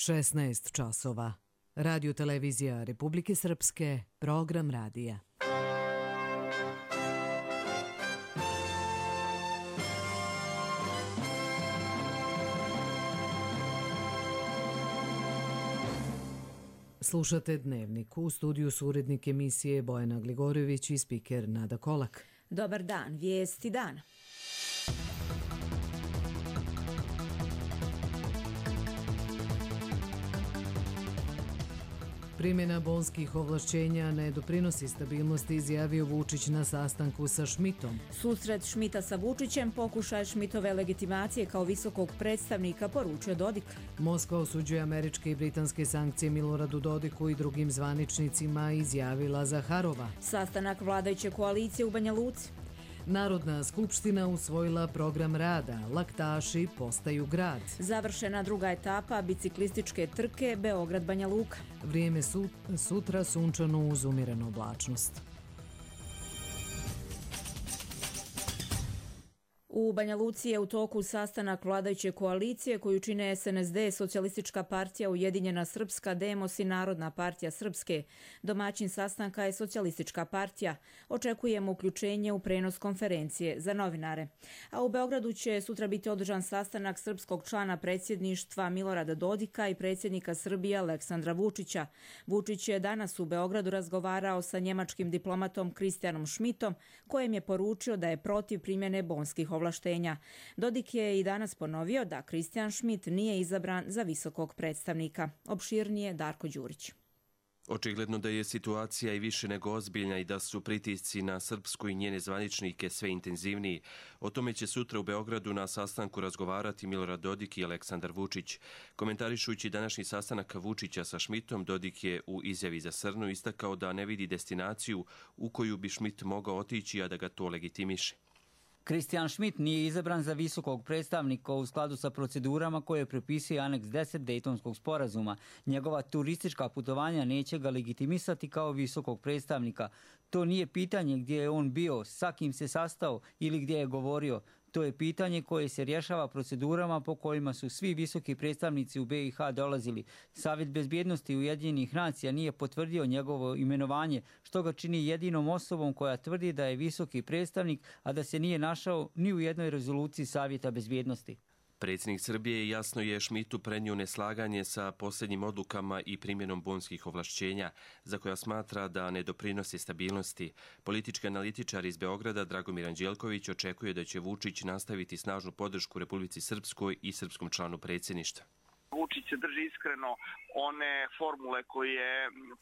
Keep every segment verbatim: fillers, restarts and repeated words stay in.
šesnaest časova. Radio televizija Republike Srpske, program radija. Slušate Dnevnik. U studiju su urednik emisije Bojana Gligorović i spiker Nada Kolak. Dobar dan, vijesti dana. Primjena bonskih ovlašćenja ne doprinosi stabilnosti, izjavio Vučić na sastanku sa Šmitom. Susret Šmita sa Vučićem, pokušaj Šmitove legitimacije kao visokog predstavnika, poručio Dodik. Moskva osuđuje američke i britanske sankcije Miloradu Dodiku i drugim zvaničnicima, izjavila Zaharova. Sastanak vladajuće koalicije u Banja Luci. Narodna skupština usvojila program rada, laktaši postaju grad. Završena druga etapa biciklističke trke Beograd-Banja Luka. Vrijeme su, sutra sunčano uz umjerenu oblačnost. U Banja Luci je u toku sastanak vladajuće koalicije koju čine es en es de, Socijalistička partija Ujedinjena Srpska, Demos i Narodna partija Srpske. Domaćin sastanka je Socijalistička partija. Očekujemo uključenje u prenos konferencije za novinare. A u Beogradu će sutra biti održan sastanak srpskog člana predsjedništva Milorada Dodika i predsjednika Srbije Aleksandra Vučića. Vučić je danas u Beogradu razgovarao sa njemačkim diplomatom Kristijanom Šmitom, kojem je poručio da je protiv primjene bonskih ovlaštenja. ovlaštenja. Dodik je i danas ponovio da Kristijan Šmit nije izabran za visokog predstavnika. Opširnije Darko Đurić. Očigledno da je situacija i više nego ozbiljna i da su pritisci na Srpsku i njene zvaničnike sve intenzivniji. O tome će sutra u Beogradu na sastanku razgovarati Milorad Dodik i Aleksandar Vučić. Komentarišući današnji sastanak Vučića sa Šmitom, Dodik je u izjavi za Srnu istakao da ne vidi destinaciju u koju bi Šmit mogao otići, a da ga to legitimiše. Kristijan Šmit nije izabran za visokog predstavnika u skladu sa procedurama koje propisuje aneks deset Dejtonskog sporazuma. Njegova turistička putovanja neće ga legitimisati kao visokog predstavnika. To nije pitanje gdje je on bio, sa kim se sastao ili gdje je govorio. To je pitanje koje se rješava procedurama po kojima su svi visoki predstavnici u be i ha dolazili. Savjet bezbjednosti Ujedinjenih nacija nije potvrdio njegovo imenovanje, što ga čini jedinom osobom koja tvrdi da je visoki predstavnik, a da se nije našao ni u jednoj rezoluciji Savjeta bezbjednosti. Predsjednik Srbije jasno je Šmitu prenio neslaganje sa posljednjim odlukama i primjenom bonskih ovlašćenja, za koja smatra da ne doprinosi stabilnosti. Politički analitičar iz Beograda Dragomir Anđelković očekuje da će Vučić nastaviti snažnu podršku Republici Srpskoj i srpskom članu predsjedništva. Vučić se drži iskreno one formule koje je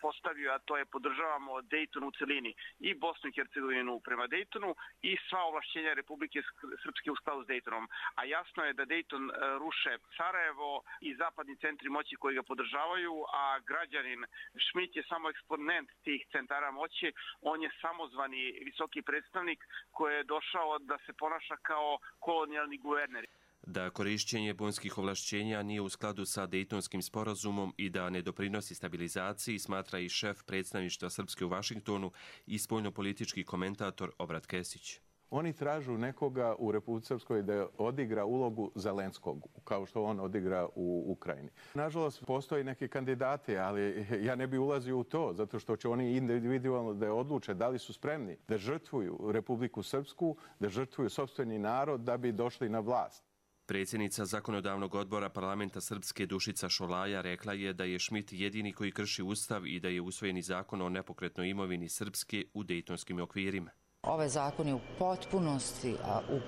postavio, a to je podržavamo Dejton u celini i Bosnu i Hercegovinu prema Dejtonu i sva ovlašćenja Republike Srpske u skladu s Dejtonom. A jasno je da Dejton ruše Sarajevo i zapadni centri moći koji ga podržavaju, a građanin Šmit je samo eksponent tih centara moći. On je samozvani visoki predstavnik koji je došao da se ponaša kao kolonijalni guverner. Da korišćenje bonskih ovlašćenja nije u skladu sa Dejtonskim sporazumom i da ne doprinosi stabilizaciji, smatra i šef predstavništva Srpske u Vašingtonu i spoljnopolitički komentator Obrat Kesić. Oni tražu nekoga u Republici Srpskoj da odigra ulogu Zelenskog, kao što on odigra u Ukrajini. Nažalost, postoji neki kandidati, ali ja ne bi ulazio u to, zato što će oni individualno da odluče da li su spremni da žrtvuju Republiku Srpsku, da žrtvuju sopstveni narod da bi došli na vlast. Predsjednica Zakonodavnog odbora parlamenta Srpske Dušica Šolaja rekla je da je Šmit jedini koji krši ustav i da je usvojeni zakon o nepokretnoj imovini Srpske u dejtonskim okvirima. Ovaj zakon je u potpunosti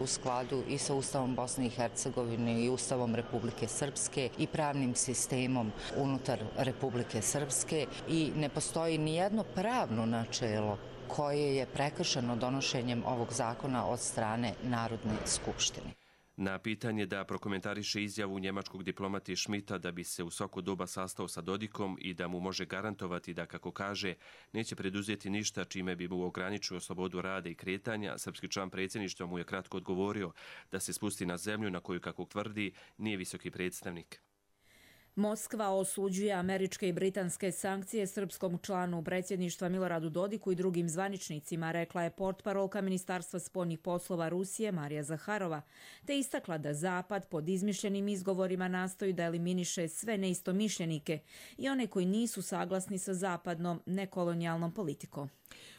u skladu i sa Ustavom Bosne i Hercegovine i Ustavom Republike Srpske i pravnim sistemom unutar Republike Srpske i ne postoji nijedno pravno načelo koje je prekršeno donošenjem ovog zakona od strane Narodne skupštine. Na pitanje da prokomentariše izjavu njemačkog diplomata Šmita da bi se u svako doba sastao sa Dodikom i da mu može garantovati da, kako kaže, neće preduzeti ništa čime bi mu ograničio slobodu rada i kretanja, srpski član predsjedništva mu je kratko odgovorio da se spusti na zemlju na koju, kako tvrdi, nije visoki predstavnik. Moskva osuđuje američke i britanske sankcije srpskom članu predsjedništva Miloradu Dodiku i drugim zvaničnicima, rekla je portparolka Ministarstva spoljnih poslova Rusije Marija Zaharova, te istakla da Zapad pod izmišljenim izgovorima nastoji da eliminiše sve neistomišljenike i one koji nisu saglasni sa zapadnom nekolonijalnom politikom.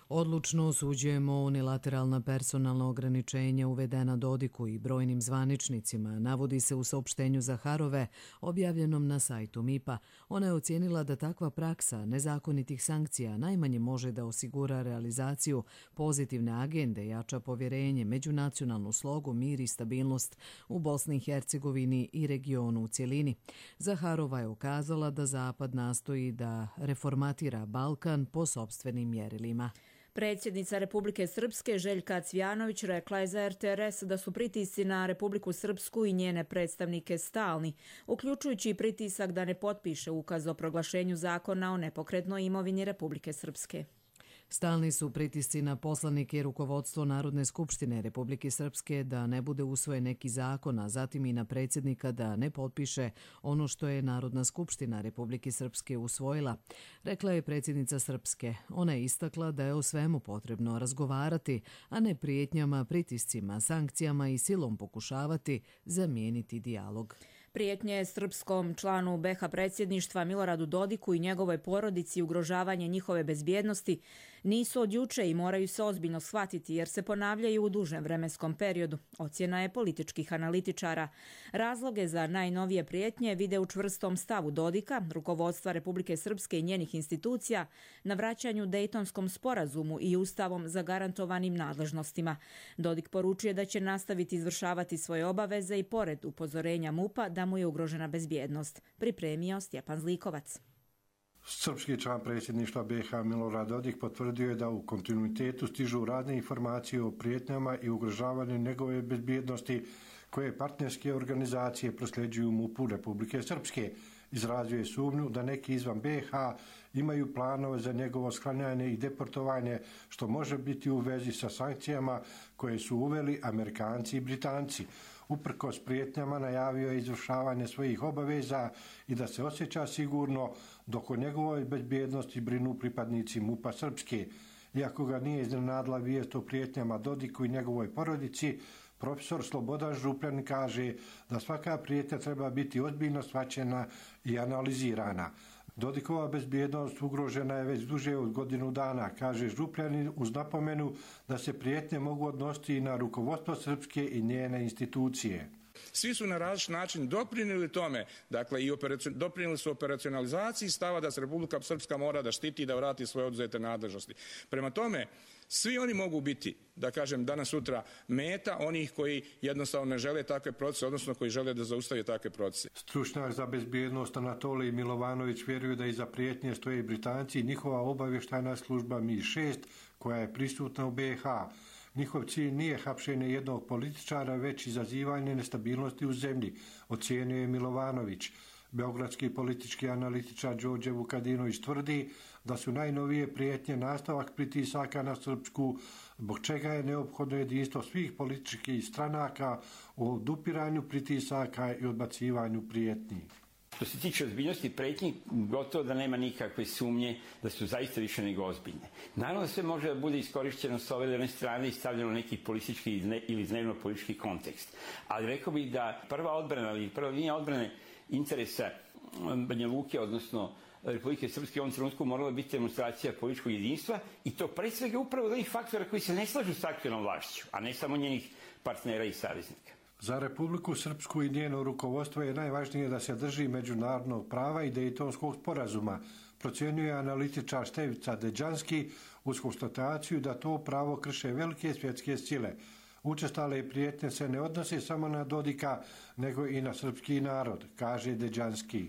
Odlučno osuđujemo unilateralna personalna ograničenja uvedena Dodiku i brojnim zvaničnicima, navodi se u saopštenju Zaharove objavljenom na sajtu M I P-a. Ona je ocijenila da takva praksa nezakonitih sankcija najmanje može da osigura realizaciju pozitivne agende, jača povjerenje, međunacionalnu slogu, mir i stabilnost u Bosni i Hercegovini i regionu u cjelini. Zaharova je ukazala da Zapad nastoji da reformatira Balkan po sopstvenim mjerilima. Predsjednica Republike Srpske Željka Cvjanović rekla je za R T R S da su pritisci na Republiku Srpsku i njene predstavnike stalni, uključujući i pritisak da ne potpiše ukaz o proglašenju zakona o nepokretnoj imovini Republike Srpske. Stalni su pritisci na poslanike i rukovodstvo Narodne skupštine Republike Srpske da ne bude usvojen neki zakon, a zatim i na predsjednika da ne potpiše ono što je Narodna skupština Republike Srpske usvojila, rekla je predsjednica Srpske. Ona je istakla da je o svemu potrebno razgovarati, a ne prijetnjama, pritiscima, sankcijama i silom pokušavati zamijeniti dijalog. Prijetnje srpskom članu B iH predsjedništva Miloradu Dodiku i njegovoj porodici i ugrožavanje njihove bezbjednosti nisu od juče i moraju se ozbiljno shvatiti jer se ponavljaju u dužem vremenskom periodu, ocjena je političkih analitičara. Razloge za najnovije prijetnje vide u čvrstom stavu Dodika, rukovodstva Republike Srpske i njenih institucija, na vraćanju Dejtonskom sporazumu i ustavom zagarantovanim nadležnostima. Dodik poručuje da će nastaviti izvršavati svoje obaveze i pored upozorenja M U P-a da mu je ugrožena bezbjednost. Pripremio Stjepan Zlikovac. Srpski član predsjedništva B iH Milorad Dodik potvrdio je da u kontinuitetu stižu razne informacije o prijetnjama i ugrožavanju njegove bezbjednosti koje partnerske organizacije prosljeđuju M U P-u Republike Srpske. Izrazio je sumnju da neki izvan B iH imaju planove za njegovo sklanjanje i deportovanje, što može biti u vezi sa sankcijama koje su uveli Amerikanci i Britanci. Uprkos prijetnjama najavio je izvršavanje svojih obaveza i da se osjeća sigurno dok o njegovoj bezbjednosti brinu pripadnici M U P-a Srpske. Iako ga nije iznenadila vijest o prijetnjama Dodiku i njegovoj porodici, profesor Slobodan Župljanin kaže da svaka prijetnja treba biti ozbiljno shvaćena i analizirana. Dodikova bezbjednost ugrožena je već duže od godinu dana, kaže Župljanin uz napomenu da se prijetnje mogu odnositi i na rukovodstvo Srpske i njene institucije. Svi su na različit način doprinijeli tome, dakle i doprinijeli su operacionalizaciji stava da se Republika Srpska mora da štiti i da vrati svoje oduzete nadležnosti. Prema tome, svi oni mogu biti, da kažem, danas sutra meta onih koji jednostavno ne žele takve procese, odnosno koji žele da zaustave takve procese. Stručnjak za bezbjednost Anatolij Milovanović vjeruje da iza prijetnje stoje i Britanci i njihova obavještajna služba M I šest koja je prisutna u B iH. Njihov cilj nije hapšenje jednog političara, već izazivanje nestabilnosti u zemlji, ocijenio je Milovanović. Beogradski politički analitičar Đorđe Vukadinović tvrdi da su najnovije prijetnje nastavak pritisaka na Srpsku, zbog čega je neophodno jedinstvo svih političkih stranaka u odupiranju pritisaka i odbacivanju prijetnji. Što se tiče ozbiljnosti prijetnji, gotovo da nema nikakve sumnje da su zaista više nego ozbiljne. Naravno da sve može da bude iskorišćeno s ove ili one strane i stavljeno u neki politički ili dnevno politički kontekst. Ali rekao bih da prva odbrana ili prva linija odbrane interesa Banja Luke, odnosno Republike Srpske u ovom trenutku morala biti demonstracija političkog jedinstva i to pre svega upravo od onih faktora koji se ne slažu s aktualnom vlašću, a ne samo njenih partnera i saveznika. Za Republiku Srpsku i njeno rukovodstvo je najvažnije da se drži međunarodnog prava i Dejtonskog sporazuma, procjenjuje analitičar Stevica Deđanski uz konstataciju da to pravo krše velike svjetske sile. Učestale prijetnje se ne odnose samo na Dodika, nego i na srpski narod, kaže Deđanski.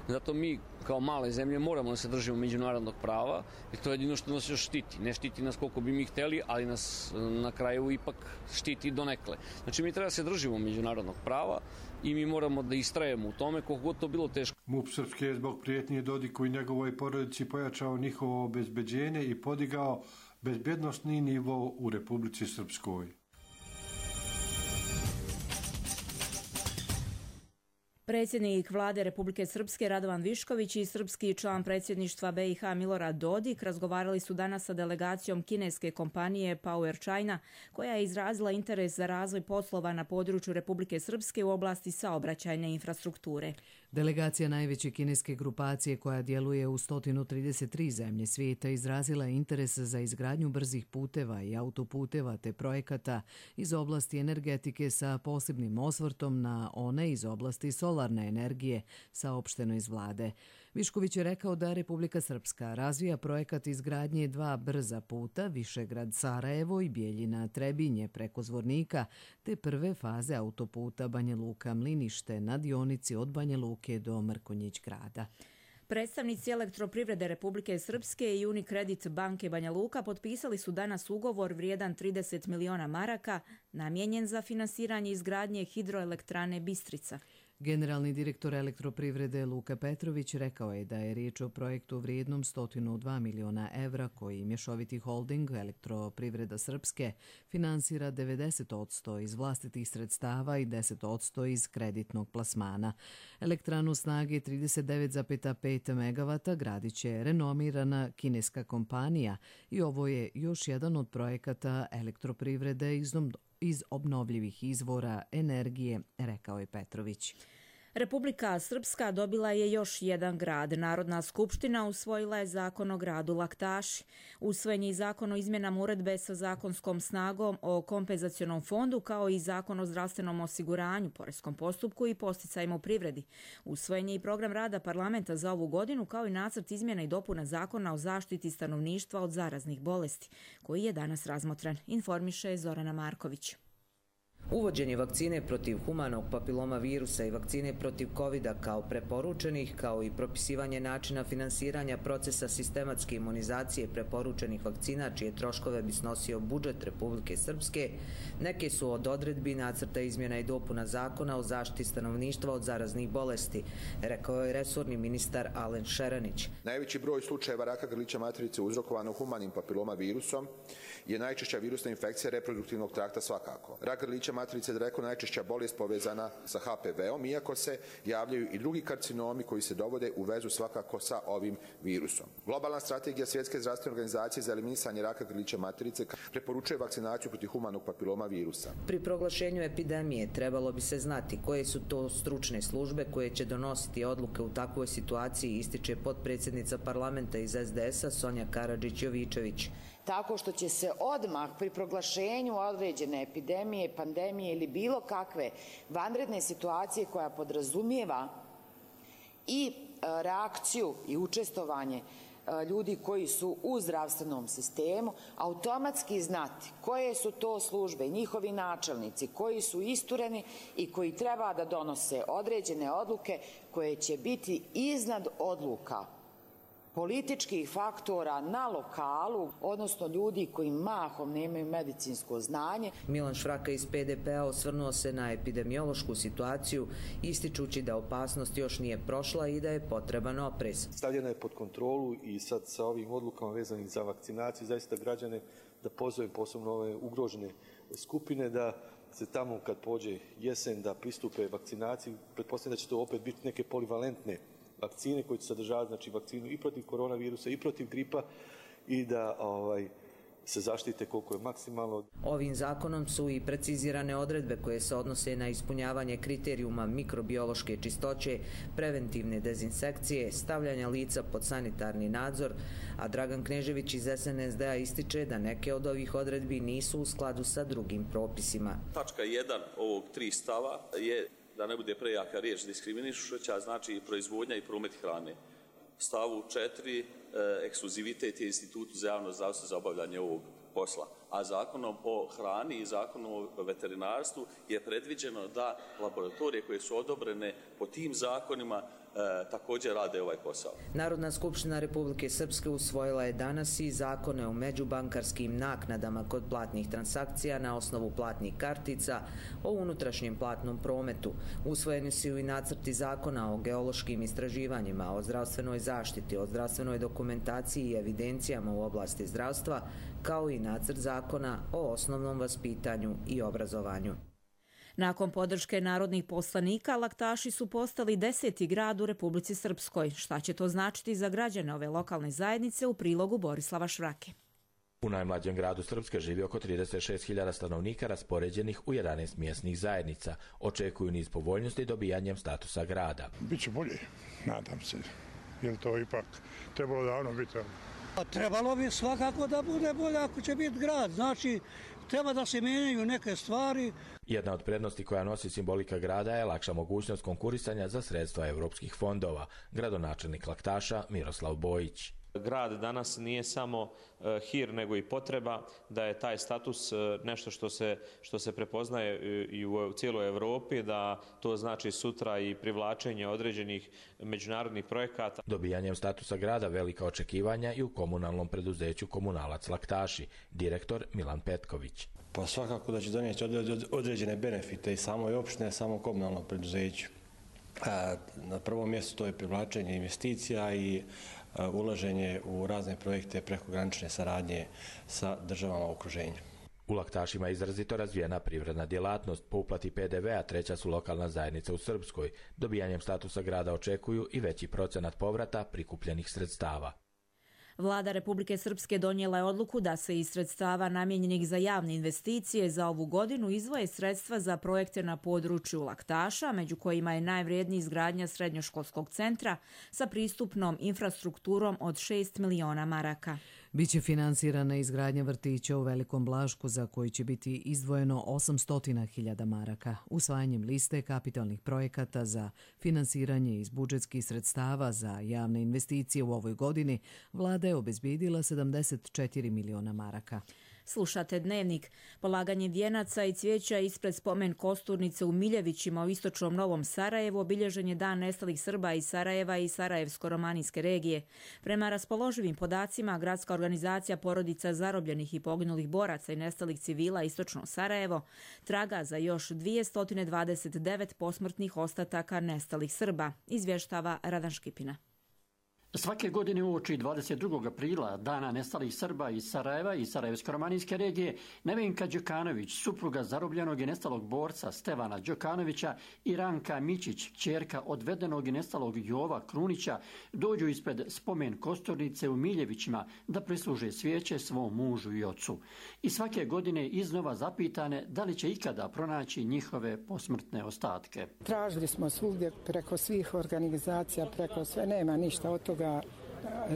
Zato mi kao male zemlje moramo da se držimo međunarodnog prava, jer to je jedino što nas još štiti. Ne štiti nas koliko bi mi hteli, ali nas na kraju ipak štiti donekle. Znači mi treba da se držimo međunarodnog prava i mi moramo da istrajemo u tome koliko god to bilo teško. M U P Srpske je zbog prijetnje Dodiku i njegovoj porodici pojačao njihovo obezbeđenje i podigao bezbjednosni nivo u Republici Srpskoj. Predsjednik vlade Republike Srpske Radovan Višković i srpski član predsjedništva B i H Milorad Dodik razgovarali su danas sa delegacijom kineske kompanije Power China, koja je izrazila interes za razvoj poslova na području Republike Srpske u oblasti saobraćajne infrastrukture. Delegacija najveće kineske grupacije koja djeluje u sto trideset tri zemlje svijeta izrazila interes za izgradnju brzih puteva i autoputeva te projekata iz oblasti energetike sa posebnim osvrtom na one iz oblasti solarne energije, saopšteno iz vlade. Višković je rekao da Republika Srpska razvija projekat izgradnje dva brza puta Višegrad-Sarajevo i Bijeljina-Trebinje preko Zvornika, te prve faze autoputa Banja Luka-Mlinište na dionici od Banja Luke do Mrkonjić grada. Predstavnici Elektroprivrede Republike Srpske i Unicredit banke Banja Luka potpisali su danas ugovor vrijedan trideset miliona maraka namijenjen za finansiranje izgradnje hidroelektrane Bistrica. Generalni direktor Elektroprivrede Luka Petrović rekao je da je riječ o projektu vrijednom sto dva miliona evra koji mješoviti holding Elektroprivreda Srpske finansira devedeset posto iz vlastitih sredstava i deset posto iz kreditnog plasmana. Elektranu snage trideset devet zarez pet megavata gradit će renomirana kineska kompanija i ovo je još jedan od projekata Elektroprivrede iz obnovljivih izvora energije, rekao je Petrović. Republika Srpska dobila je još jedan grad. Narodna skupština usvojila je zakon o gradu Laktaši. Usvojen je i zakon o izmjenama uredbe sa zakonskom snagom o kompenzacionom fondu, kao i zakon o zdravstvenom osiguranju, poreskom postupku i posticajima u privredi. Usvojen je i program rada parlamenta za ovu godinu, kao i nacrt izmjena i dopuna zakona o zaštiti stanovništva od zaraznih bolesti, koji je danas razmotren, informiše Zorana Marković. Uvođenje vakcine protiv humanog papiloma virusa i vakcine protiv kovida kao preporučenih, kao i propisivanje načina finansiranja procesa sistematske imunizacije preporučenih vakcina, čije troškove bi snosio budžet Republike Srpske, neke su od odredbi nacrta izmjena i dopuna zakona o zaštiti stanovništva od zaraznih bolesti, rekao je resorni ministar Alen Šeranić. Najveći broj slučajeva raka grlića materice uzrokovano humanim papiloma virusom je najčešća virusna infekcija reproduktivnog trakta svakako. Rak grlića materice je daleko najčešća bolest povezana sa H P V-om, iako se javljaju i drugi karcinomi koji se dovode u vezu svakako sa ovim virusom. Globalna strategija Svjetske zdravstvene organizacije za eliminisanje raka grlića materice preporučuje vakcinaciju protiv humanog papiloma virusa. Pri proglašenju epidemije trebalo bi se znati koje su to stručne službe koje će donositi odluke u takvoj situaciji, ističe potpredsjednica parlamenta iz S D S-a Sonja Karadžić-Jovičević. Tako što će se odmah pri proglašenju određene epidemije, pandemije ili bilo kakve vanredne situacije koja podrazumijeva i reakciju i učestvovanje ljudi koji su u zdravstvenom sistemu, automatski znati koje su to službe, njihovi načelnici, koji su istureni i koji treba da donose određene odluke koje će biti iznad odluka političkih faktora na lokalu, odnosno ljudi koji mahom nemaju medicinsko znanje. Milan Švraka iz P D P-a osvrnuo se na epidemiološku situaciju, ističući da opasnost još nije prošla i da je potreban oprez. Stavljena je pod kontrolu i sad sa ovim odlukama vezanih za vakcinaciju, zaista građane da pozovem, posebno ove ugrožene skupine, da se tamo kad pođe jesen da pristupe vakcinaciji. Pretpostavljam da će to opet biti neke polivalentne vakcine koje će sadržavati, znači, vakcinu i protiv koronavirusa i protiv gripa i da ovaj, se zaštite koliko je maksimalno. Ovim zakonom su i precizirane odredbe koje se odnose na ispunjavanje kriterijuma mikrobiološke čistoće, preventivne dezinsekcije, stavljanja lica pod sanitarni nadzor, a Dragan Knežević iz S N S D-a ističe da neke od ovih odredbi nisu u skladu sa drugim propisima. Tačka jedan ovog tri stava je da ne bude prejaka riječ diskriminišuća, znači proizvodnja i promet hrane. Stavu četiri, e, ekskluzivitet je institutu za javno zdravstvo za obavljanje ovog posla. A zakonom o hrani i zakonom o veterinarstvu je predviđeno da laboratorije koje su odobrene po tim zakonima e, također rade ovaj posao. Narodna skupština Republike Srpske usvojila je danas i zakone o međubankarskim naknadama kod platnih transakcija na osnovu platnih kartica, o unutrašnjem platnom prometu. Usvojeni su i nacrti zakona o geološkim istraživanjima, o zdravstvenoj zaštiti, o zdravstvenoj dokumentaciji i evidencijama u oblasti zdravstva, kao i nacrt zakona o osnovnom vaspitanju i obrazovanju. Nakon podrške narodnih poslanika, Laktaši su postali deseti grad u Republici Srpskoj. Šta će to značiti za građane ove lokalne zajednice u prilogu Borislava Švrake? U najmlađem gradu Srpske živi oko trideset šest hiljada stanovnika raspoređenih u jedanaest mjesnih zajednica. Očekuju niz povoljnosti dobijanjem statusa grada. Biće bolje, nadam se, jer to ipak trebalo davno biti. Trebalo bi svakako da bude bolje ako će biti grad, znači treba da se mijenjaju neke stvari. Jedna od prednosti koja nosi simbolika grada je lakša mogućnost konkurisanja za sredstva europskih fondova, gradonačelnik Laktaša Miroslav Bojić. Grad danas nije samo hir nego i potreba, da je taj status nešto što se, što se prepoznaje i u cijeloj Europi, da to znači sutra i privlačenje određenih međunarodnih projekata. Dobijanjem statusa grada velika očekivanja i u komunalnom preduzeću Komunalac Laktaši, direktor Milan Petković. Pa svakako da će donijeti određene benefite i samoj opštine, samo komunalnom preduzeću. Na prvom mjestu to je privlačenje investicija i ulaženje u razne projekte prekogranične saradnje sa državama okruženja. U Laktašima je izrazito razvijena privredna djelatnost. Po uplati P D V-a treća su lokalna zajednica u Srpskoj. Dobijanjem statusa grada očekuju i veći procenat povrata prikupljenih sredstava. Vlada Republike Srpske donijela je odluku da se iz sredstava namijenjenih za javne investicije za ovu godinu izdvoje sredstva za projekte na području Laktaša, među kojima je najvrijedniji izgradnja srednjoškolskog centra sa pristupnom infrastrukturom od šest miliona maraka. Biće finansirana izgradnja vrtića u Velikom Blašku za koji će biti izdvojeno osamsto hiljada maraka. Usvajanjem liste kapitalnih projekata za finansiranje iz budžetskih sredstava za javne investicije u ovoj godini, vlada je obezbijedila sedamdeset četiri miliona maraka. Slušate Dnevnik. Polaganje vijenaca i cvijeća ispred spomen kosturnice u Miljevićima u istočnom Novom Sarajevu obilježen je Dan nestalih Srba iz Sarajeva i Sarajevsko-romanijske regije. Prema raspoloživim podacima, gradska organizacija porodica zarobljenih i poginulih boraca i nestalih civila istočno Sarajevo traga za još dvjesto dvadeset devet posmrtnih ostataka nestalih Srba, izvještava Radan Škipina. Svake godine uoči dvadeset drugog aprila, Dana nestalih Srba iz Sarajeva i Sarajevsko-romanijske regije, Nevenka Đokanović, supruga zarobljenog i nestalog borca Stevana Đokanovića i Ranka Mičić, kćerka odvedenog i nestalog Jova Krunića, dođu ispred spomen kosturnice u Miljevićima da prisluže svijeće svom mužu i ocu. I svake godine iznova zapitane da li će ikada pronaći njihove posmrtne ostatke. Tražili smo svugdje preko svih organizacija, preko sve, nema ništa od toga.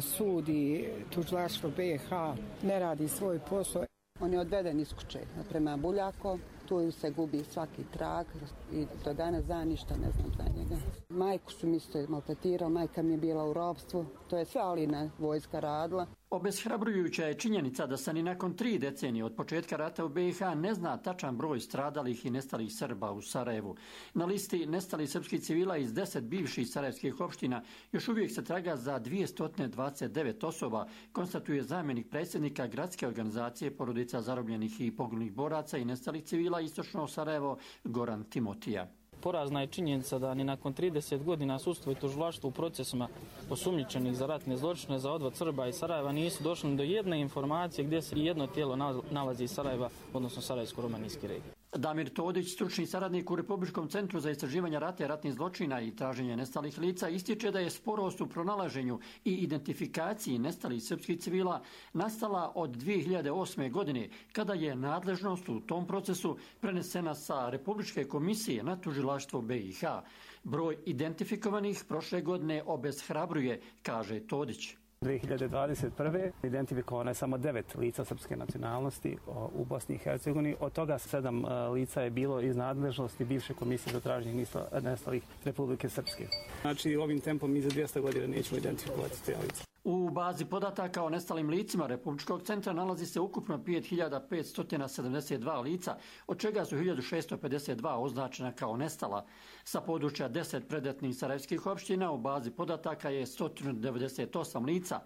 Sudi tužilaštvo B H ne radi svoj posao. On je odveden iz kuće prema Buljako, tu se gubi svaki trag i do danas za ništa ne znam za njega. Majku su mi se maltretirali, majka mi je bila u ropstvu, to je sve Alina vojska radila. Obeshrabrujuća je činjenica da se ni nakon tri decenije od početka rata u B H ne zna tačan broj stradalih i nestalih Srba u Sarajevu. Na listi nestalih srpskih civila iz deset bivših sarajevskih opština još uvijek se traga za dvjesto dvadeset devet osoba, konstatuje zamjenik predsjednika gradske organizacije porodica zarobljenih i poginulih boraca i nestalih civila istočno Sarajevo Goran Timotija. Porazna je činjenica da ni nakon trideset godina sudstvo i tužilaštvo u procesima osumnjičenih za ratne zločine za odvod Srba iz Sarajeva nisu došli do jedne informacije gdje se jedno tijelo nalazi iz Sarajeva, odnosno Sarajevsko-romanijske regije. Damir Todić, stručni saradnik u Republičkom centru za istraživanje rata i ratnih zločina i traženje nestalih lica, ističe da je sporost u pronalaženju i identifikaciji nestalih srpskih civila nastala od dvije hiljade osme. godine, kada je nadležnost u tom procesu prenesena sa Republičke komisije na tužilaštvo B i H. Broj identifikovanih prošle godine obeshrabruje, kaže Todić. dvije hiljade dvadeset prve. identifikovano je samo devet lica srpske nacionalnosti u Bosni i Hercegovini. Od toga sedam lica je bilo iz nadležnosti bivše komisije za traženje nestalih Republike Srpske. Znači ovim tempom mi za dvjesto godina nećemo identifikovati te lice. U bazi podataka o nestalim licima Republičkog centra nalazi se ukupno pet hiljada petsto sedamdeset dva lica, od čega su hiljadu šessto pedeset dva označena kao nestala. Sa područja deset predetnih sarajevskih opština u bazi podataka je sto devedeset osam lica.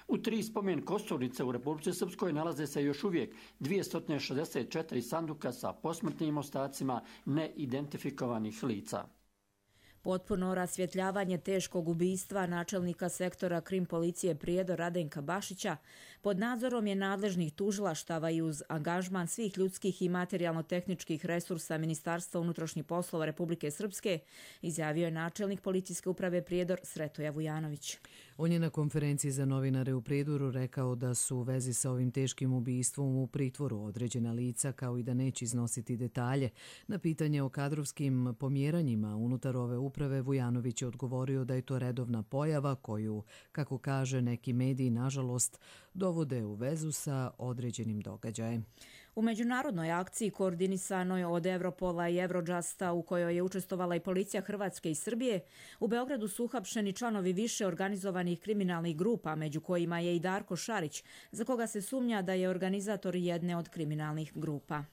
U tri spomen kosturnice u Republici Srpskoj nalaze se još uvijek dvjesto šezdeset četiri sanduka sa posmrtnim ostacima neidentifikovanih lica. Potpuno rasvjetljavanje teškog ubistva načelnika sektora krim policije Prijedor Radenka Bašića pod nadzorom je nadležnih tužilaštava i uz angažman svih ljudskih i materijalno-tehničkih resursa Ministarstva unutrašnjih poslova Republike Srpske, izjavio je načelnik policijske uprave Prijedor Sretoja Vujanović. On je na konferenciji za novinare u Prijedoru rekao da su u vezi sa ovim teškim ubistvom u pritvoru određena lica, kao i da neće iznositi detalje. Na pitanje o kadrovskim pomjeranjima unutar ove uprave Vujanović je odgovorio da je to redovna pojava koju, kako kaže, neki mediji nažalost dovode u vezu sa određenim događajem. U međunarodnoj akciji koordinisanoj od Europola i Eurojusta u kojoj je učestvovala i policija Hrvatske i Srbije, u Beogradu su uhapšeni članovi više organizovanih kriminalnih grupa, među kojima je i Darko Šarić, za koga se sumnja da je organizator jedne od kriminalnih grupa.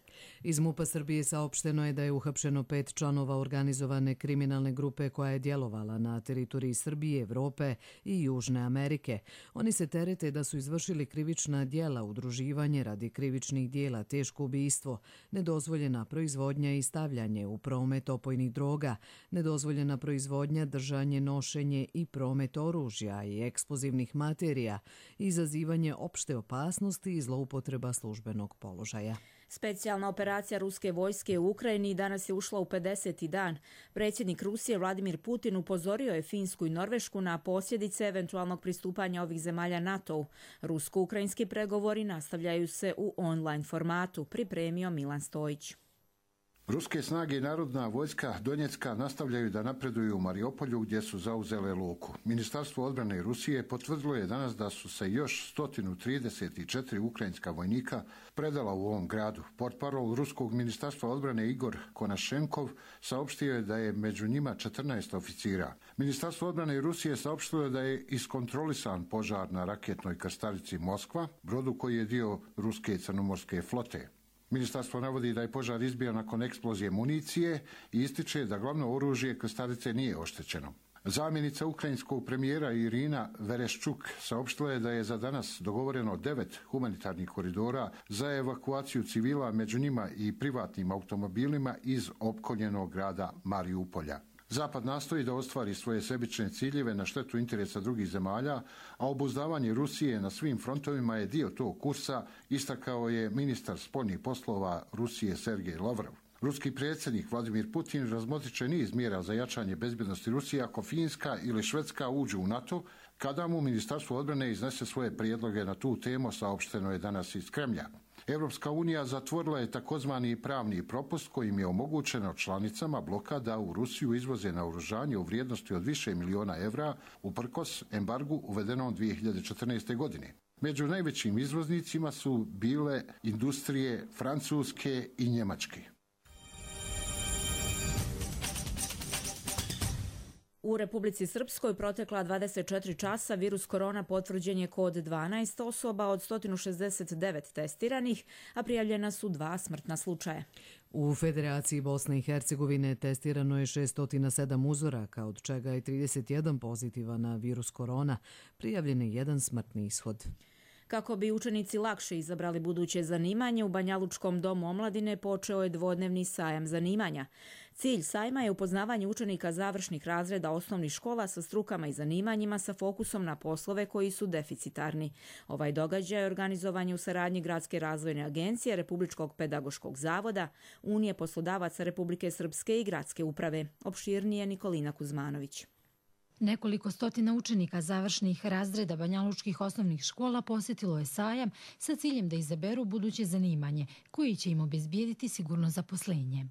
Iz MUP-a Srbije saopšteno je da je uhapšeno pet članova organizovane kriminalne grupe koja je djelovala na teritoriji Srbije, Evrope i Južne Amerike. Oni se terete da su izvršili krivična djela, udruživanje radi krivičnih djela, teško ubistvo, nedozvoljena proizvodnja i stavljanje u promet opojnih droga, nedozvoljena proizvodnja, držanje, nošenje i promet oružja i eksplozivnih materija, izazivanje opšte opasnosti i zloupotreba službenog položaja. Specijalna operacija ruske vojske u Ukrajini danas je ušla u pedeseti dan. Predsjednik Rusije Vladimir Putin upozorio je Finsku i Norvešku na posljedice eventualnog pristupanja ovih zemalja NATO-u. Rusko-ukrajinski pregovori nastavljaju se u online formatu, pripremio Milan Stojić. Ruske snage i Narodna vojska Donjecka nastavljaju da napreduju u Mariupolju gdje su zauzele luku. Ministarstvo odbrane Rusije potvrdilo je danas da su se još sto trideset četiri ukrajinska vojnika predala u ovom gradu. Portparol Ruskog ministarstva odbrane Igor Konašenkov saopštio je da je među njima četrnaest oficira. Ministarstvo odbrane Rusije saopštilo je da je iskontrolisan požar na raketnoj krstarici Moskva, brodu koji je dio ruske crnomorske flote. Ministarstvo navodi da je požar izbio nakon eksplozije municije i ističe da glavno oružje krstarice nije oštećeno. Zamjenica ukrajinskog premijera Irina Vereščuk saopštila je da je za danas dogovoreno devet humanitarnih koridora za evakuaciju civila, među njima i privatnim automobilima iz opkoljenog grada Mariupolja. Zapad nastoji da ostvari svoje sebične ciljeve na štetu interesa drugih zemalja, a obuzdavanje Rusije na svim frontovima je dio tog kursa, istakao je ministar spoljnih poslova Rusije Sergej Lavrov. Ruski predsjednik Vladimir Putin razmotrit će niz mjera za jačanje bezbjednosti Rusije ako Finska ili Švedska uđu u NATO, kada mu Ministarstvo odbrane iznese svoje prijedloge na tu temu, saopšteno je danas iz Kremlja. Europska unija zatvorila je takozvani pravni propust kojim je omogućeno članicama bloka da u Rusiju izvoze naoružanje u vrijednosti od više miliona evra uprkos embargu uvedenom dvije hiljade četrnaeste. godine. Među najvećim izvoznicima su bile industrije Francuske i Njemačke. U Republici Srpskoj protekla dvadeset četiri časa virus korona potvrđen je kod dvanaest osoba od sto šezdeset devet testiranih, a prijavljena su dva smrtna slučaja. U Federaciji Bosne i Hercegovine testirano je šesto sedam uzoraka, od čega je trideset jedan pozitivan na virus korona, prijavljen je jedan smrtni ishod. Kako bi učenici lakše izabrali buduće zanimanje, u Banjalučkom domu omladine počeo je dvodnevni sajam zanimanja. Cilj sajma je upoznavanje učenika završnih razreda osnovnih škola sa strukama i zanimanjima sa fokusom na poslove koji su deficitarni. Ovaj događaj je organizovan u saradnji Gradske razvojne agencije, Republičkog pedagoškog zavoda, Unije poslodavaca Republike Srpske i Gradske uprave. Opširnije Nikolina Kuzmanović. Nekoliko stotina učenika završnih razreda banjalučkih osnovnih škola posjetilo je sajam sa ciljem da izaberu buduće zanimanje koji će im obezbijediti sigurno zaposlenje.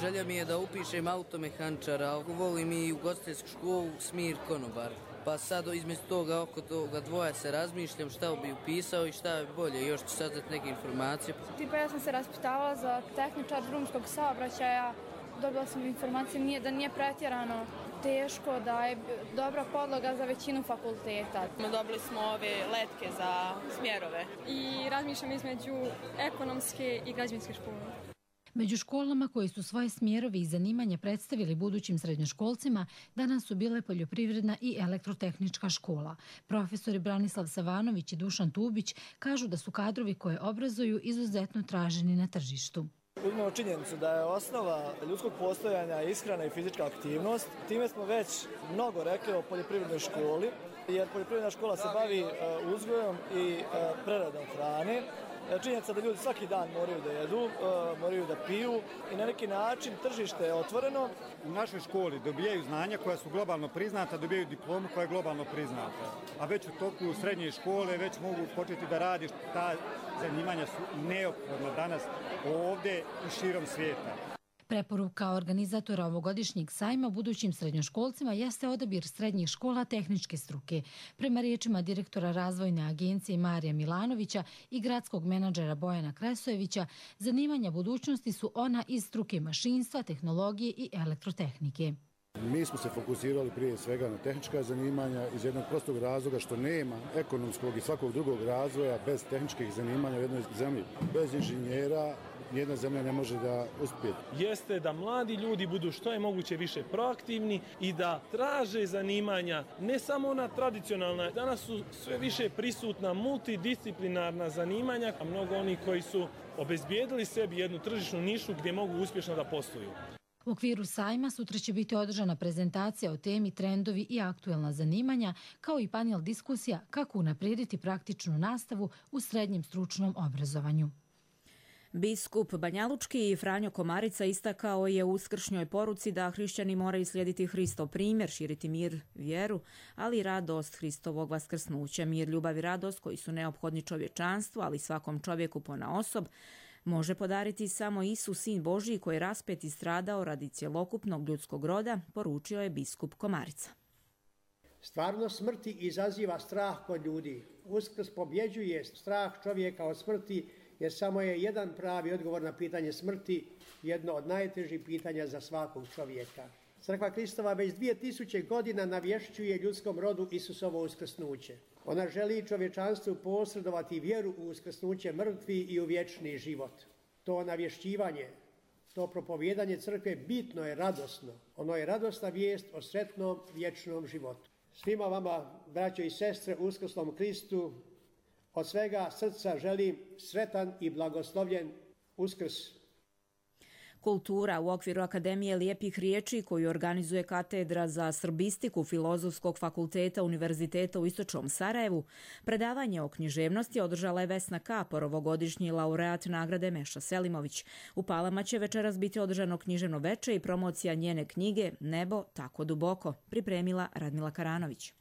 Želja mi je da upišem automehančara, volim i ugostiteljsku školu Smir Konobar. Pa sad između toga oko toga dvoja se razmišljam šta bi upisao i šta je bolje. Još ću saznati neke informacije. Tipa ja sam se raspitavala za tehničar drumskog saobraćaja. Dobila sam informacije nije, da nije pretjerano teško, da je dobra podloga za većinu fakulteta. Dobili smo ove letke za smjerove. I razmišljam između ekonomske i građevinske škole. Među školama koji su svoje smjerove i zanimanja predstavili budućim srednjoškolcima danas su bile poljoprivredna i elektrotehnička škola. Profesori Branislav Savanović i Dušan Tubić kažu da su kadrovi koje obrazuju izuzetno traženi na tržištu. Uzmemo činjenicu da je osnova ljudskog postojanja ishrana i fizička aktivnost. Time smo već mnogo rekli o poljoprivrednoj školi, jer poljoprivredna škola se bavi uzgojom i preradom hrane. Činjenica da ljudi svaki dan moraju da jedu, moraju da piju i na neki način tržište je otvoreno. U našoj školi dobijaju znanja koja su globalno priznata, dobijaju diplomu koja je globalno priznata. A već u toku srednje škole već mogu početi da radi. Ta zanimanja su neophodna danas ovdje i širom svijeta. Preporuka organizatora ovogodišnjeg sajma budućim srednjoškolcima jeste odabir srednjih škola tehničke struke. Prema riječima direktora razvojne agencije Marija Milanovića i gradskog menadžera Bojana Kresojevića, zanimanja budućnosti su ona iz struke mašinstva, tehnologije i elektrotehnike. Mi smo se fokusirali prije svega na tehnička zanimanja iz jednog prostog razloga što nema ekonomskog i svakog drugog razvoja bez tehničkih zanimanja u jednoj zemlji. Bez inženjera nijedna zemlja ne može da uspije. Jeste da mladi ljudi budu što je moguće više proaktivni i da traže zanimanja, ne samo ona tradicionalna. Danas su sve više prisutna multidisciplinarna zanimanja, a mnogo onih koji su obezbijedili sebi jednu tržišnu nišu gdje mogu uspješno da posluju. U okviru sajma sutra će biti održana prezentacija o temi trendovi i aktuelna zanimanja, kao i panel diskusija kako unaprijediti praktičnu nastavu u srednjem stručnom obrazovanju. Biskup Banjalučki Franjo Komarica istakao je u uskršnjoj poruci da hrišćani moraju slijediti Hristov primjer, širiti mir, vjeru, ali i radost Hristovog vaskrsnuća. Mir, ljubav i radost koji su neophodni čovječanstvu, ali svakom čovjeku ponaosob, može podariti samo Isus, Sin Božji, koji je raspet i stradao radi cjelokupnog ljudskog roda, poručio je biskup Komarica. Stvarnost smrti izaziva strah kod ljudi. Uskrs pobjeđuje strah čovjeka od smrti, jer samo je jedan pravi odgovor na pitanje smrti, jedno od najtežih pitanja za svakog čovjeka. Crkva Kristova već dvije tisuće godina navješćuje ljudskom rodu Isusovo uskrsnuće. Ona želi čovječanstvu posredovati vjeru u uskrsnuće mrtvi i u vječni život. To navješćivanje, to propovijedanje crkve bitno je radosno. Ono je radosna vijest o sretnom vječnom životu. Svima vama, braćo i sestre, u uskrsnom Kristu, od svega srca želim sretan i blagoslovljen Uskrs. Kultura u okviru Akademije lijepih riječi koju organizuje Katedra za srbistiku Filozofskog fakulteta Univerziteta u Istočnom Sarajevu, predavanje o književnosti održala je Vesna Kapor, ovogodišnji laureat nagrade Meša Selimović. U Palama će večeras biti održano književno veče i promocija njene knjige Nebo tako duboko, pripremila Radmila Karanović.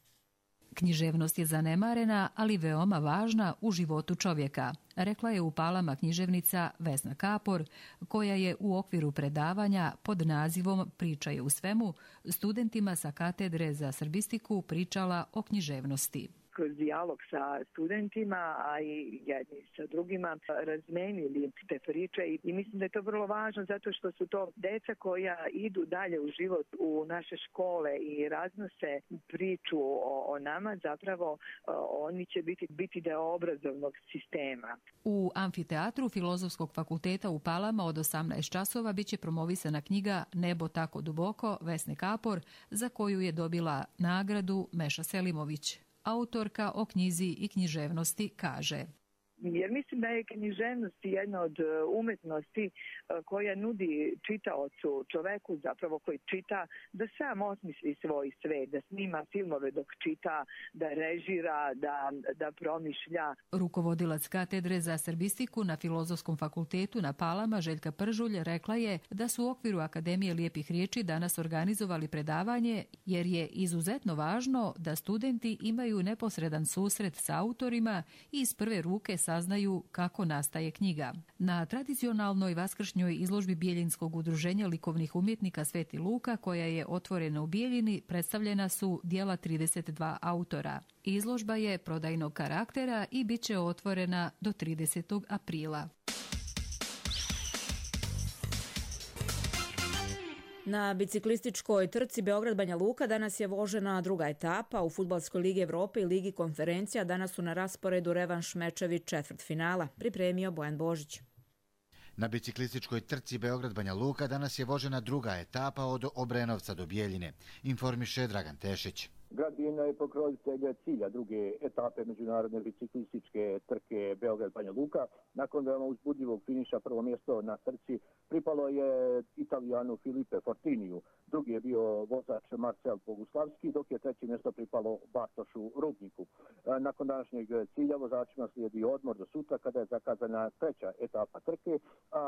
Književnost je zanemarena, ali veoma važna u životu čovjeka, rekla je u Palama književnica Vesna Kapor, koja je u okviru predavanja pod nazivom Priča je u svemu studentima sa Katedre za srbistiku pričala o književnosti. Kroz dijalog sa studentima, a i jedni sa drugima, razmenili te priče i mislim da je to vrlo važno zato što su to deca koja idu dalje u život u naše škole i raznose priču o, o nama, zapravo oni će biti, biti deo obrazovnog sistema. U amfiteatru Filozofskog fakulteta u Palama od osamnaest časova biće promovisana knjiga Nebo tako duboko Vesne Kapor, za koju je dobila nagradu Meša Selimović. Autorka o knjizi i književnosti kaže: Jer mislim da je književnost jedna od umetnosti koja nudi čitaocu, čoveku zapravo koji čita, da sam osmisli svoj svet, da snima filmove dok čita, da režira, da, da promišlja. Rukovodilac Katedre za srbistiku na Filozofskom fakultetu na Palama, Željka Pržulj, rekla je da su u okviru Akademije lijepih riječi danas organizovali predavanje jer je izuzetno važno da studenti imaju neposredan susret sa autorima i iz prve ruke saznaju kako nastaje knjiga. Na tradicionalnoj vaskršnjoj izložbi Bijeljinskog udruženja likovnih umjetnika Sveti Luka, koja je otvorena u Bijeljini, predstavljena su djela trideset dva autora. Izložba je prodajnog karaktera i bit će otvorena do tridesetog aprila. Na biciklističkoj trci Beograd-Banja Luka danas je vožena druga etapa. U Fudbalskoj ligi Evrope i Ligi konferencija danas su na rasporedu revanš mečevi četvrtfinala. Pripremio Bojan Božić. Na biciklističkoj trci Beograd-Banja Luka danas je vožena druga etapa od Obrenovca do Bijeljine, informiše Dragan Tešić. Grad Bijeljina je pokrovitelj cilja druge etape međunarodne biciklističke trke Beograd-Banja Luka. Nakon veoma uzbudljivog finiša prvo mjesto na trci pripalo je Italijanu Filipe Fortiniju. Drugi je bio vozač Marcel Boguslavski, dok je treće mjesto pripalo Bartošu Rubniku. Nakon današnjeg cilja vozačima slijedi odmor do sutra kada je zakazana treća etapa trke, a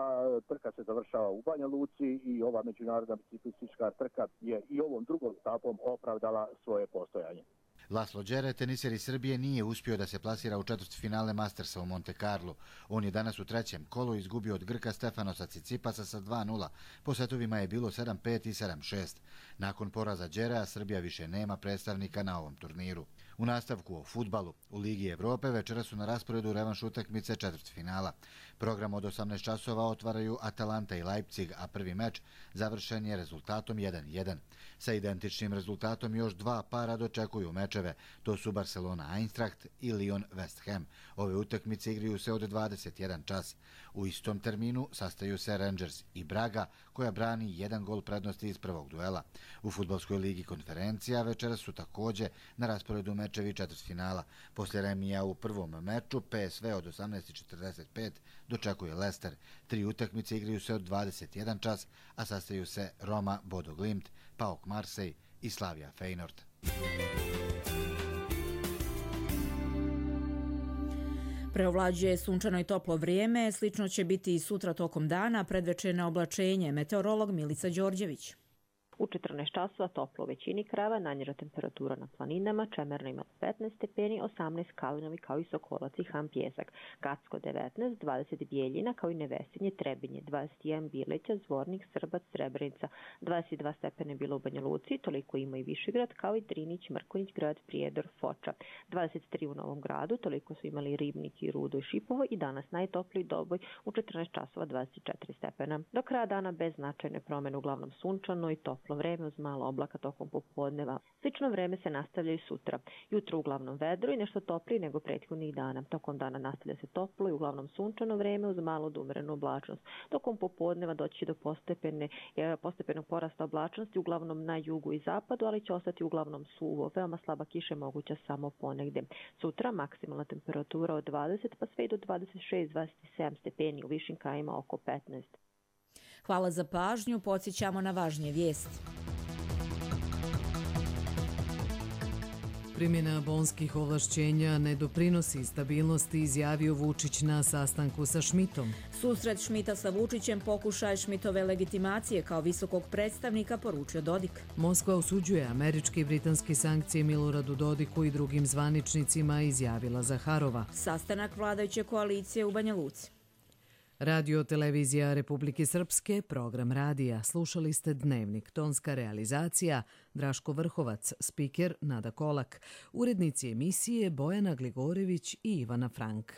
trka se završava u Banja Luci i ova međunarodna biciklistička trka je i ovom drugom etapom opravdala svoje postojanje. Laslo Đere, teniser iz Srbije, nije uspio da se plasira u četvrtfinale Mastersa u Monte Carlo. On je danas u trećem kolu izgubio od Grka Stefanosa Cicipasa sa dva nula. Po setovima je bilo sedam pet i sedam šest. Nakon poraza Đerea, Srbija više nema predstavnika na ovom turniru. U nastavku o fudbalu u Ligi Evrope večera su na rasporedu revanš utakmice četvrtfinala. Program od osamnaest časova otvaraju Atalanta i Leipzig, a prvi meč završen je rezultatom jedan jedan. Sa identičnim rezultatom još dva para dočekuju mečeve. To su Barcelona Eintracht i Lyon West Ham. Ove utakmice igraju se od dvadeset jedan čas. U istom terminu sastaju se Rangers i Braga, koja brani jedan gol prednosti iz prvog duela. U fudbalskoj ligi Konferencija večera su takođe na rasporedu mečevi četvrtfinala. Poslije remija u prvom meču P S V od osamnaest četrdeset pet dočekuje Leicester. Tri utakmice igraju se od dvadeset jedan čas, a sastaju se Roma Bodo Glimt, P A O K Marseille i Slavia Feyenoord. Preovlađuje sunčano i toplo vrijeme, slično će biti i sutra tokom dana, predvečerno oblačenje. Meteorolog Milica Đorđević. U četrnaest časova toplo u većini krajeva, najniža temperatura na planinama, Čemerno ima petnaest stepeni, osamnaest Kalinovi kao i Sokolac i Ham Pjesak, Gacko devetnaest, dvadeset Bijeljina kao i Nevesinje, Trebinje, dvadeset jedan Bileća, Zvornik, Srbac, Srebrenica, dvadeset dva stepene bilo u Banja Luci, toliko ima i Višegrad kao i Drinić, Mrkonjić, Grad, Prijedor, Foča, dvadeset tri u Novom Gradu, toliko su imali Ribnik i Rudo i Šipovo i danas najtopliji Doboj u četrnaest časova dvadeset četiri stepena. Do kraja dana bez značajne promjene, uglavnom sunčano i toplo vreme uz malo oblaka tokom popodneva. Slično vreme se nastavlja i sutra. Jutro uglavnom vedro i nešto toplije nego prethodnih dana. Tokom dana nastavlja se toplo i uglavnom sunčano vreme uz malo do umerenu oblačnost. Tokom popodneva doći do postepene, postepenog porasta oblačnosti uglavnom na jugu i zapadu, ali će ostati uglavnom suvo. Veoma slaba kiša moguća samo ponegde. Sutra maksimalna temperatura od dvadeset pa sve i do dvadeset šest do dvadeset sedam stepeni, u višim krajevima oko petnaest. Hvala za pažnju, podsjećamo na važnije vijesti. Primjena bonskih ovlašćenja ne doprinosi stabilnosti, izjavio Vučić na sastanku sa Šmitom. Susret Šmita sa Vučićem pokušaj Šmitove legitimacije kao visokog predstavnika, poručio Dodik. Moskva osuđuje američke i britanske sankcije Miloradu Dodiku i drugim zvaničnicima, izjavila Zaharova. Sastanak vladajuće koalicije u Banja Luci. Radio Televizija Republike Srpske, program radija. Slušali ste Dnevnik, tonska realizacija, Draško Vrhovac, spiker Nada Kolak, urednici emisije Bojana Gligorević i Ivana Frank.